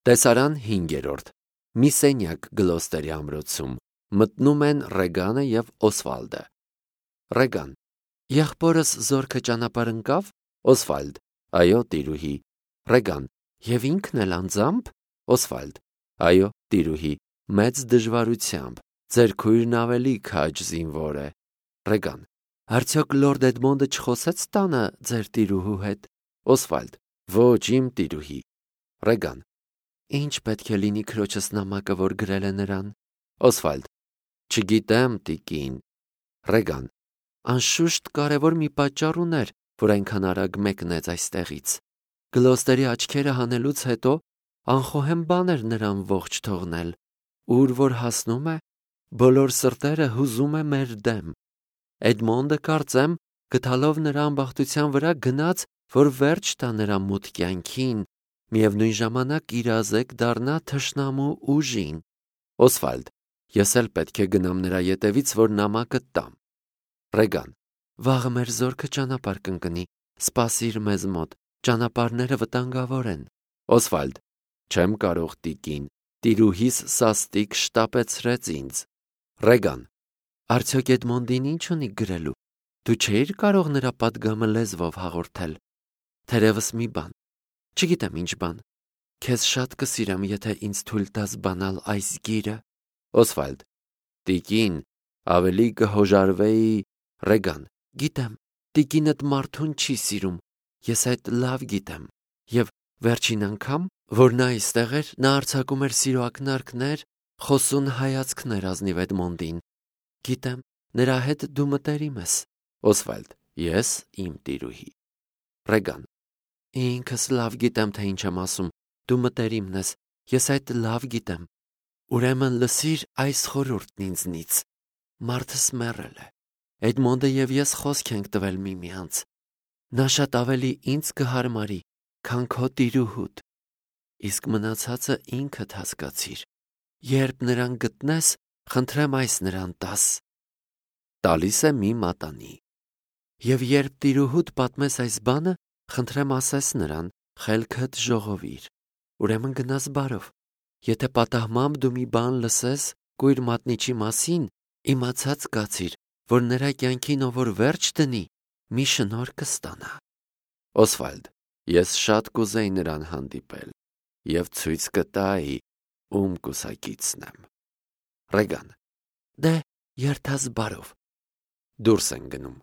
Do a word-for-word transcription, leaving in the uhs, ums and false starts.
Տեսարան հինգերորդ մի սենյակ Գլոստերի ամրոցում մտնում են Ռեգանը և Օսվալդը։ Ռեգան. եղբորս զորքը ճանապարհ ընկավ։ Օսվալդ. այո, տիրուհի։ Ռեգան. և ինքն էլ անձամբ։ Օսվալդ. այո, տիրուհի, մեծ դժվարությամբ, ձեր քույրն ավելի քաջ զինվոր է։ Ռեգան. արդյոք լորդ Էդմոնդը չխոսեց տանը ձեր տիրուհու հետ։ Օսվալդ. ոչ, իմ տիրուհի։ Ռեգան. ինչ պետք է լինի քրոջս նամակը, որ գրել է նրան։ Օսվալդ. չգիտեմ, տիկին։ Ռեգան. անշուշտ կարևոր մի պատճառ ուներ, որ այնքան արագ մեկնեց այստեղից։ Գլոստերի աչքերը հանելուց հետո անխոհեմ բան էր նրան ողջ թողնել։ Ուր որ հասնում է, բոլոր սրտերը հուզում է մեր դեմ։ Էդմոնդը, կարծեմ, գտալով նրա ամբախտության վրա, գնաց, որ վերջ տա նրա մութ կյանքին, միևնույն ժամանակ իրազեկ դառնա թշնամու ուժին։ Օսվալդ. ես էլ պետք է գնամ նրա ետևից, որ նամակը տամ։ Ռեգան. վաղը մեր զորքը ճանապարհ կընկնի, սպասիր մեզ մոտ, ճանապարհները վտանգավոր են։ Օսվալդ. չեմ կարող, տիկին, տիրուհիս սաստիկ շտապեցրեց ինձ։ Ռեգան. արդյոք Էդմոնդին ինչ ունի գրելու։ Դու չէիր կարող նրա պատգամը լեզվով հաղորդել։ Թերևս մի բան, չգիտեմ ինչ բան։ Քեզ շատ կսիրեմ, եթե ինձ թույլ տաս բանալ այս գիրը։ Օսվալդ. տիկին, ավելի կհոժարվեի։ Ռեգան. գիտեմ, տիկինդ մարդուն չի սիրում, ես այդ լավ գիտեմ։ Եվ վերջին անգամ, որ նա այստեղ էր, նա արձակում էր սիրո ակնարկներ, խոսուն հայացքներ ազնիվ Էդմոնդին։ Գիտեմ, նրա հետ դու մտերիմ ես։ Օսվալդ. ես, իմ տիրուհի։ Ռեգան. ինքս լավ գիտեմ, թե ինչ եմ ասում, դու մտերիմն ես, ես այդ լավ գիտեմ։ Ուրեմն լսիր այս խորհուրդն ինձնից։ Մարդս մեռել է։ Էդմոնդը և ես խոսք ենք տվել միմյանց։ Նա շատ ավելի ինձ կհարմարի, քան քո տիրուհուդ։ Իսկ մնացածը ինքդ հասկացիր։ Երբ նրան գտնես, խնդրեմ այս նրան տաս։ Տալիս է մի մատանի։ Եվ երբ տիրուհուդ պատմես այս բանը, խնդրեմ ասես նրան, խելքդ ժողովիր։ Ուրեմն գնաս բարով։ Եթե պատահմամբ դու մի բան լսես կույր մատնիչի մասին, իմացած կացիր, որ նրա կյանքին ով որ վերջ դնի, մի շնորհ կստանա։ Օսվալդ. ես շատ կուզեի նրան հանդիպել և ցույց կտայի, ում կուսակիցն եմ։ Ռեգան. դե, երթաս բարով։ Դուրս են գնում։